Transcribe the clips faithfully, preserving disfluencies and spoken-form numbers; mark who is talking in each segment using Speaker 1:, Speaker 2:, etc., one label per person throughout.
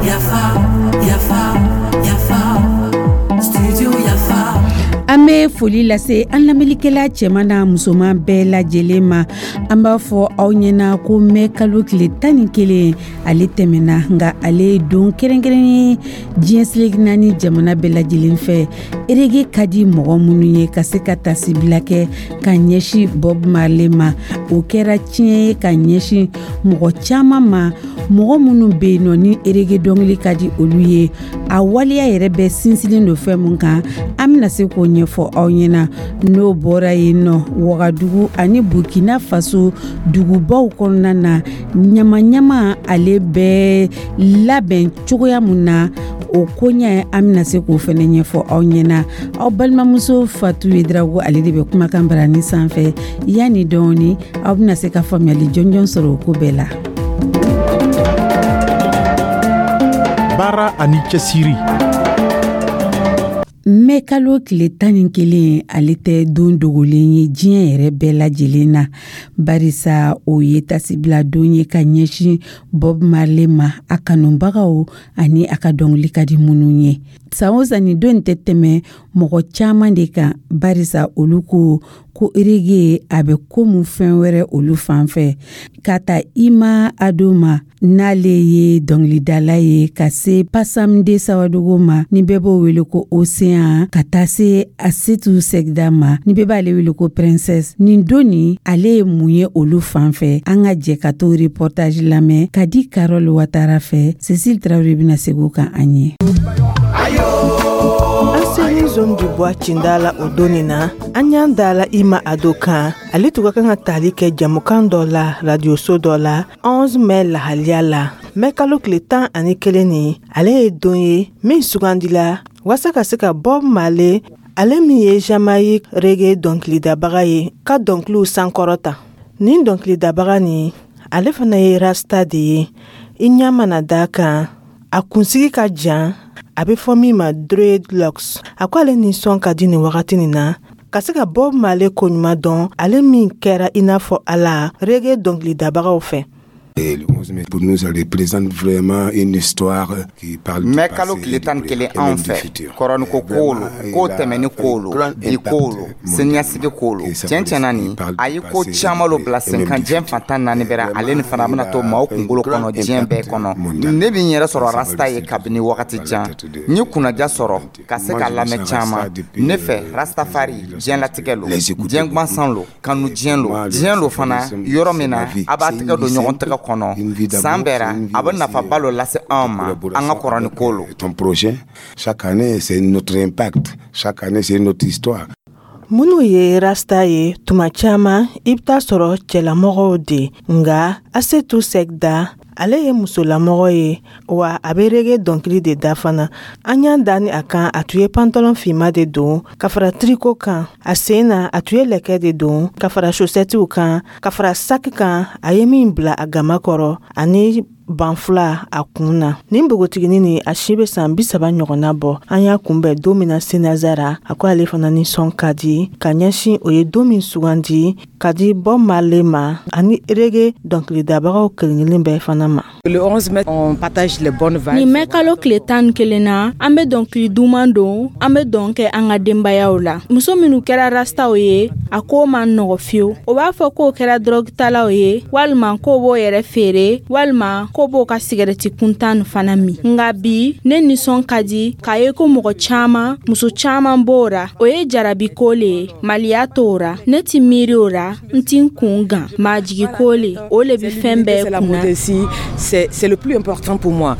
Speaker 1: Yafa, yafa, yafa, studio Yafa.
Speaker 2: An bɛ foli lase an lamɛnlikɛla cɛman n'a musoman bɛɛ lajɛlen ma. An b'a fɔ aw ɲɛna ko mɛ kalo tile tan ni kelen ale tɛmɛna, nka ale ye don kɛrɛnkɛrɛn ye diɲɛ seleke naani jamana bɛɛ lajɛlen fɛ. Reggae ka di mɔgɔ minnu ye, ka se ka tasibila kɛ ka ɲɛsin Bob Marley ma, o kɛra tiɲɛ ye ka ɲɛsin mɔgɔ caman ma, mɔgɔ minnu bɛ yen nɔ ni reggae dɔnkili ka di olu ye. A waleya yɛrɛ bɛ sinsinlen don fɛn mun kan, an bɛna se k'o ɲɛfɔ aw ɲɛna. N'o bɔra yen nɔ, Wagadugu ani Burkina Faso dugubaw kɔnɔna na, ɲama-ɲama ale bɛ labɛn cogoya mun na, o koɲɛ an bɛna se k'o fɛnɛ ɲɛfɔ aw ɲɛna. Aw balimamuso Fatu Yedrago, ale de bɛ kumakan barani sanfɛ. Yanni dɔɔni, aw bɛna se ka faamuyali jɔnjɔn sɔrɔ o ko bɛɛ la.
Speaker 3: Baara ani cɛsiri.
Speaker 2: Mɛ kalo tile tan ni kelen ale tɛ don dogolen ye diɲɛ yɛrɛ bɛɛ lajɛlen na, barisa o ye tasibila don ye ka ɲɛsin Bob Marley ma, a kanubagaw ani a ka dɔnkili ka di minnu ye. San o san, nin don tɛ tɛmɛ mɔgɔ caman de kan, barisa olu ko ko reggae a bɛ komi fɛn wɛrɛ olu fan fɛ. Ka ta Ima Ado ma, n'ale ye dɔnkilidala ye, ka se Pasamde Sawadogo ma, ni bɛɛ b'o wele ko Océan, ka taa se Asetu Sɛgida ma, ni bɛɛ b'ale wele ko Princesse, nin don nin ale ye mun ye olu fan fɛ? An ka jɛ ka t'o reportage lamɛn ka di Carole Watara fɛ. Cécile Traoré bɛna segin o kan an ye.
Speaker 4: An selen Zone du Bois cinda la o don nin na, an y'an da la Ima Ado kan. Ale tun ka kan ka tali kɛ jamukan dɔ la radioso dɔ la onze mai lahaliya la. Mɛ kalo tile tan ani kelen nin, ale ye don ye min sugandila waasa ka se ka Bob Marley, ale min ye Jamaïque reggae dɔnkilidabaga ye, ka dɔnkiliw sankɔrɔta. Nin dɔnkilidabaga nin, ale fana ye rasta de ye. I ɲɛ mana da kan, a kunsigi ka jan, a bɛ fɔ min ma dreadlocks. A ko ale nisɔn ka di nin wagati nin na ka se ka Bob Marley koɲuman dɔn, ale min kɛra i n'a fɔ Ala reggae dɔnkilidabagaw fɛ.
Speaker 5: Pour nous, ça représente vraiment une histoire qui parle du
Speaker 6: Mɛ kalo tile tan ni kelen anw fɛ, kɔrɔniko ko lo, ko tɛmɛni ko lo, bi ko lo, siniɲɛsigi ko lo. Tiɲɛ tiɲɛna, nin a ye ko caman lo bila sen kan diɲɛ fantan naani bɛra. Ale ni fana bɛna to maaw kunkolo kɔnɔ diɲɛ bɛɛ kɔnɔ. Ne bɛ n yɛrɛ sɔrɔ rasta ye kabini wagati jan. N ye kunnaja sɔrɔ ka se ka lamɛn caman. Ne fɛ, rastafari diɲɛlatigɛ lo, diɲɛ gansan lo, kanu diɲɛ lo, diɲɛ lo fana yɔrɔ min na a b'a tɛgɛ don ɲɔgɔn tɛgɛ kɔnɔ san bɛɛ, a bɛ nafaba lo lase anw ma an ka kɔrɔni ko lo.
Speaker 5: Ton prochain, chaque année, c'est notre impact. Chaque année, c'est notre histoire.
Speaker 4: Minnu ye rasta ye, tuma caman i bɛ taa sɔrɔ cɛlamɔgɔw de, nka Asetu Sɛgida, ale ye musolamɔgɔ ye, wa a bɛ reggae dɔnkili de da fana. An y'an da ni a kan, a tun ye pantalon finma de don ka fara tricot kan. A sen na, a tun ye lɛkɛ de don ka fara chaussettew kan, ka fara saki kan a ye min bila a gama kɔrɔ, ani banfula a kun na. Nin npogotiginin nin, a si bɛ san bi saba ɲɔgɔnna bɔ. An y'a kunbɛn don min na Senazara, a ko ale fana nisɔn ka di ka ɲɛsin o ye don min sugandi ka di Bob Marley ma ani reggae dɔnkilidabagaw kelen-kelen bɛɛ fana ma.
Speaker 7: Le onze mai, on partage les bonnes vibes.
Speaker 8: Nin mɛ kalo tile tan ni kelen na, an bɛ dɔnkili duman don, an bɛ dɔn kɛ an ka denbayaw la. Muso minnu kɛra rastaw ye, a ko man nɔgɔ fiyewu. O b'a fɔ k'o kɛra dɔrɔgutalaw ye, walima k'o b'o yɛrɛ feere, walima ko b'o ka sigɛrɛti kuntan fana min. Nka bi, ne nisɔn ka di k'a ye ko mɔgɔ caman, muso caman b'o ra. O ye jarabi ko le ye, maliya t'o ra. Ne ti miiri o ra, n ti n kun gan majigi ko le, o le bi fɛn bɛɛ kunna.
Speaker 7: C'est c'est le plus important pour moi.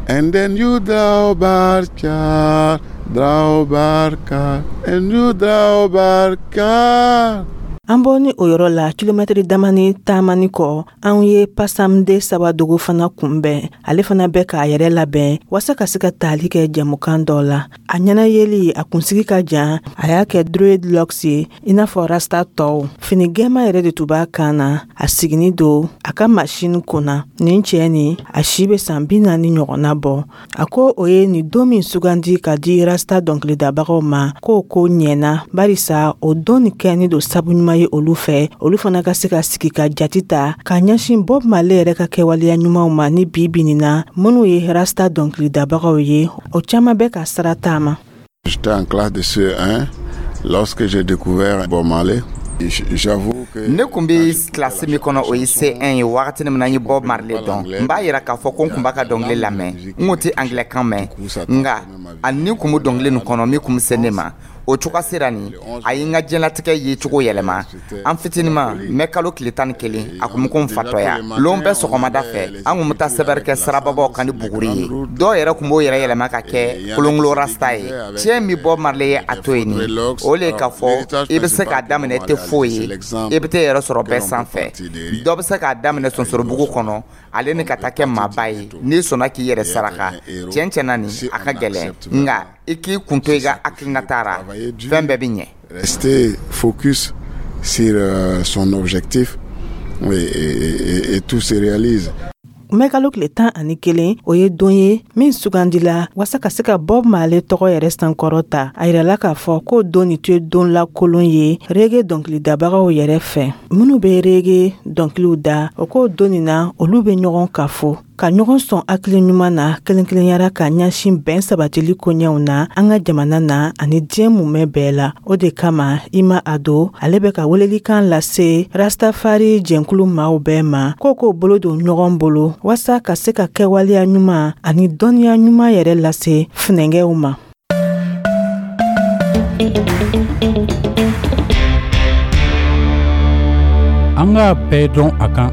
Speaker 9: And then you draw barka, draw barka, and you draw barka.
Speaker 4: An bɔ ni o yɔrɔ la, kilomɛtiri damani taamani kɔ, an ye Pasamde Sawadogo fana kunbɛn. Ale fana bɛ k'a yɛrɛ labɛn waasa ka se ka tali kɛ jɛmukan dɔ la. A ɲɛna yeli, a kunsigi ka jan, a y'a kɛ dreadlocks ye i n'a fɔ rasta tɔw. Fini gɛma yɛrɛ de tun b'a kan na. A sigini don a ka masini kunna. Nin cɛ nin, a si bɛ san bi naani ɲɔgɔnna bɔ. A ko o ye nin don min sugandi ka di rasta dɔnkilidabagaw ma, k'o ko ɲɛna, barisa o don nin kɛni don sabu ɲuman caman ye olu fɛ, olu fana ka se ka sigi ka jati ta ka ɲɛsin Bob Marley yɛrɛ ka kɛwaleya ɲumanw ma ni bi bi nin na minnu ye rasta dɔnkilidabagaw ye, o caman bɛ ka sira taama.
Speaker 9: J'étais en classe de C E un lorsque j'ai découvert Bob Marley. J'avoue que
Speaker 6: Ne kun bɛ kilasi min kɔnɔ, o ye C un ye. Wagati min na n ye Bob Marley dɔn, n b'a yira k'a fɔ ko n kun b'a ka dɔnkili lamɛn. N kun tɛ angilɛ kan mɛn, nka a ni kun bɛ dɔnkili nin kɔnɔ min kun bɛ se ne ma. O cogoya sera nin a ye n ka diɲɛlatigɛ ye cogo yɛlɛma. An fitinima, mɛ kalo tile tan ni kelen, a kun bɛ ko n fatɔya. Lon bɛɛ sɔgɔmada fɛ, an kun bɛ taa sɛbɛri kɛ sirababaw kan ni buguri ye. Dɔw yɛrɛ kun b'o yɛrɛ yɛlɛma ka kɛ kolonkolon rasta ye. Tiɲɛ min Bob Marley ye a to yen nin, o le ye k'a fɔ i bɛ se k'a daminɛ i tɛ foyi ye, i bɛ t'e yɛrɛ sɔrɔ bɛɛ sanfɛ. Dɔ bɛ se k'a daminɛ sonsorobugu kɔnɔ, ale ni ka taa kɛ maaba ye n'i sɔnna k'i yɛrɛ saraka. Tiɲɛ tiɲɛna nin a ka gɛlɛn, nka i k'i kun to i ka hakilinata ra, fɛn bɛɛ bɛ ɲɛ.
Speaker 9: Rester focus sur euh, son objectif et, et, et, et tout se réalise.
Speaker 4: Mɛkalo tile tan ani kelen, o ye don ye min sugandila waasa ka se ka Bob Marley tɔgɔ yɛrɛ sankɔrɔ ta. A yirala k'a fɔ k'o don nin tun ye don lakolon ye reggae dɔnkilidabagaw yɛrɛ fɛ. Minnu bɛ reggae dɔnkiliw da, o k'o don nin na, olu bɛ ɲɔgɔn kafo ka ɲɔgɔn sɔn hakili ɲuman na kelen-kelenyara ka ɲɛsin bɛn sabatili koɲɛw na an ka jamana na ani diɲɛ mumɛ bɛɛ la. O de kama, Ima Ado, ale bɛ ka welelikan lase Rastafari jɛnkulu maaw bɛɛ ma ko k'o bolo don ɲɔgɔn bolo waasa ka se ka kɛwaleya ɲuman ani dɔnniya ɲuman yɛrɛ lase funɛngɛw ma.
Speaker 3: An k'a bɛɛ dɔn a kan.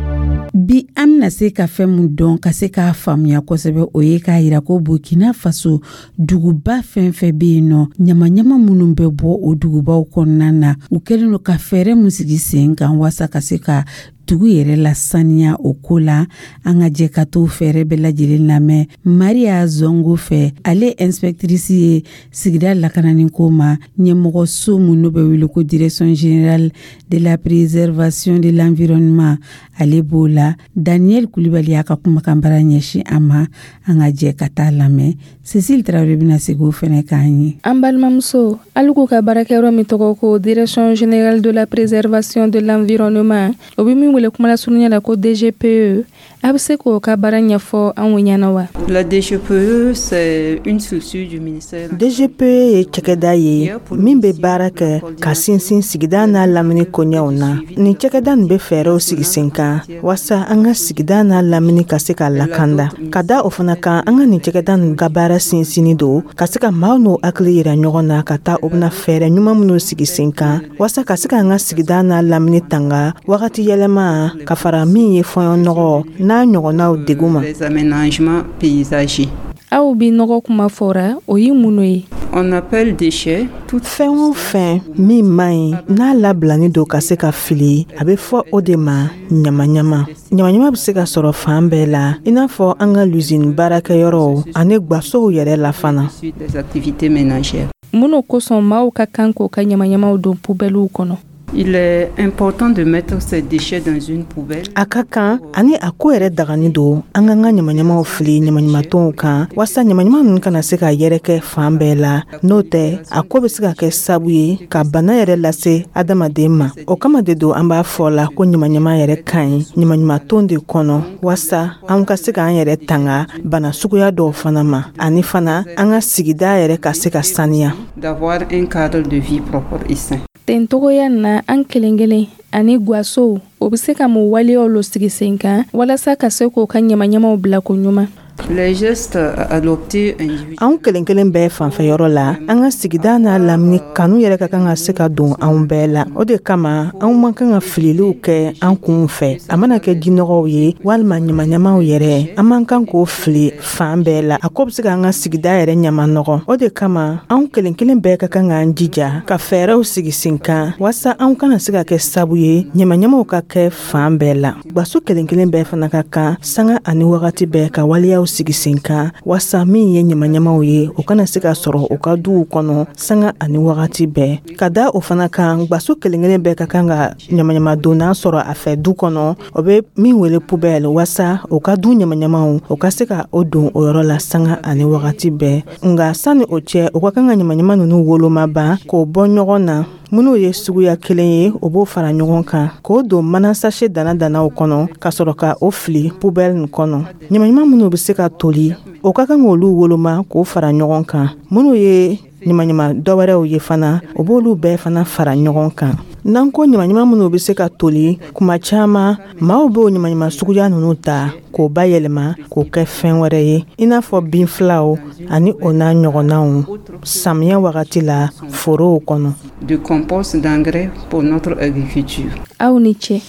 Speaker 2: Bi, an bena se ka fɛn mun dɔn ka se k'a faamuya kosɛbɛ, o ye k'a yira ko Burkina Faso duguba fɛn fɛn be yen nɔ, ɲamaɲama minnu bɛ bɔ o dugubaw kɔnɔna na, u kɛlen do ka fɛɛrɛ mun sigi sen kan waasa ka se ka dugu yɛrɛ lasaniya. O ko la, an ka jɛ ka t'o fɛɛrɛ bɛɛ lajɛlen lamɛn Maria Zongo fɛ. Ale inspectrice ye sigida lakanani ko ma ɲɛmɔgɔso mun n'o bɛ wele ko Direction générale de la préservation de l'environnement, ale b'o la. Daniel Kulibali y'a ka kumakan bara ɲɛsin a ma. An ka jɛ ka taa lamɛn. Cécile Tarawele bɛna segin o fɛnɛ k'an ye.
Speaker 8: An balimamuso, hali k'u ka baarakɛyɔrɔ min tɔgɔ ko Direction générale de la préservation de l'environnement, o bɛ min wele kumalasurunya la ko D G P E, a bɛ se k'o ka baara ɲɛfɔ anw ɲɛna wa?
Speaker 10: La D G P E, c'est une structure du ministère.
Speaker 4: D G P E ye cakɛda ye min bɛ baara kɛ ka sinsin sigida n'a lamini koɲɛw na. Nin cakɛda nin bɛ fɛɛrɛw sigi sen kan waasa an ka sigida n'a lamini ka se ka lakanda. Ka da o fana kan, an ka nin cakɛda nin ka baara sinsinni don ka se ka maaw n'o hakili yira ɲɔgɔn na ka taa o bɛna fɛɛrɛ ɲuman minnu sigi sen kan waasa ka se ka an ka sigida n'a lamini tanga wagati yɛlɛma ka fara min ye fɔɲɔnɔgɔ n'a ɲɔgɔnnaw degun ma.
Speaker 10: Les aménagements paysagers.
Speaker 8: Aw bi nɔgɔ kuma fɔra, o ye mun ye?
Speaker 10: On appelle déchets
Speaker 4: tout fɛn o fɛn min man ɲi n'a labilani don ka se ka fili, a bɛ fɔ o de ma ɲamaɲama. Ɲamaɲama bɛ se ka sɔrɔ fan bɛɛ la, i n'a fɔ an ka lusini baarakɛyɔrɔw ani gwasow yɛrɛ la fana.
Speaker 10: Des activités ménagères.
Speaker 8: Minnu kosɔn maaw ka kan k'o ka ɲamaɲamaw don poubellew kɔnɔ?
Speaker 10: Il est important de mettre ces déchets dans une poubelle.
Speaker 4: A ka kan ani a ko yɛrɛ dagani don an k'an ka ɲamaɲamaw fili ɲamaɲamatonw kan waasa ɲamaɲama ninnu kana se ka yɛrɛkɛ fan bɛɛ la. N'o tɛ, a ko bɛ se ka kɛ sabu ye ka bana yɛrɛ lase adamaden ma. O kama de don an b'a fɔ la ko ɲamaɲama yɛrɛ ka ɲi ɲamaɲamaton de kɔnɔ waasa an ka se k'an yɛrɛ tanga bana suguya dɔw fana ma, ani fana an ka sigida yɛrɛ ka se ka saniya.
Speaker 10: D'avoir un cadre de vie propre et sain.
Speaker 8: Ten togoya na, an kelen kelen ani gwasow, o bɛ se ka mun waleyaw lo sigi sen kan walasa ka se k'o ka ɲamaɲamaw bila ko ɲuman?
Speaker 10: Les gestes adoptés individuellement.
Speaker 4: Anw kelen kelen bɛɛ fanfɛyɔrɔ la, an ka sigida n'a lamini kanu yɛrɛ ka kan ka se ka don anw bɛɛ la. O de kama, anw man kan ka fililiw kɛ an kunw fɛ, a mana kɛ jinɔgɔw ye walima ɲamaɲamaw yɛrɛ, an man kan k'o fili fan bɛɛ la. A ko bɛ se k'an ka sigida yɛrɛ ɲama nɔgɔ. O de kama, anw kelen kelen bɛɛ ka kan k'an jija ka fɛɛrɛw sigi sen kan waasa anw kana se ka kɛ sabu ye ɲamaɲamaw ka kɛ fan bɛɛ la. Gwaso kelen kelen bɛɛ fana ka kan sanga ani wagati bɛɛ ka waleyaw sigi sen kan waasa min ye ɲamaɲamaw ye, o kana se ka sɔrɔ u ka duw kɔnɔ sanga ani wagati bɛɛ. Ka da o fana kan, gwaso kelen kelen bɛɛ ka kan ka ɲamaɲamadonna sɔrɔ a fɛ du kɔnɔ, o bɛ min wele poubelle, waasa o ka du ɲamaɲamaw, o ka se ka o don o yɔrɔ la sanga ani wagati bɛɛ. Nga sani o cɛ, o ka kan ka ɲamaɲama ninnu woloma ban k'o bɔ ɲɔgɔn na. Minnu ye suguya kelen ye, o b'o fara ɲɔgɔn kan k'o don mana sachet dana danaw kɔnɔ, ka sɔrɔ ka o fili poubelle nin kɔnɔ. Ɲamaɲama minnu bɛ se ka toli, o ka kan k'olu woloma k'o fara ɲɔgɔn kan. Minnu ye ɲamaɲama dɔwɛrɛw ye fana, o b'olu bɛɛ fana fara ɲɔgɔn kan. N'an ko ɲamaɲama minnu bɛ se ka toli, kuma caman maaw b'o ɲamaɲama suguya ninnu ta k'o bayɛlɛma k'o kɛ fɛn wɛrɛ ye, i n'a fɔ binfilaw ani o n'a ɲɔgɔnnaw, samiyɛ wagati la forow kɔnɔ.
Speaker 10: De compost, d'engrais pour notre agriculture.
Speaker 8: Aw ni ce.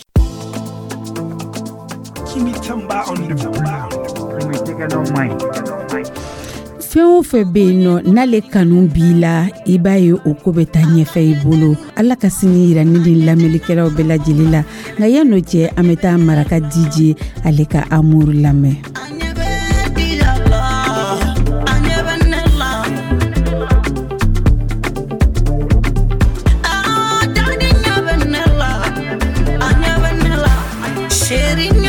Speaker 2: Fɛn o fɛn bɛ yen nɔ, n'ale kanu b'i la, i b'a ye o ko bɛ taa ɲɛfɛ i bolo. Ala ka sini yira ne ni lamɛnlikɛlaw bɛɛ lajɛlen la. Nka yan'o cɛ, an bɛ taa Maraka D J, ale ka Amour lamɛn.
Speaker 1: Chéri.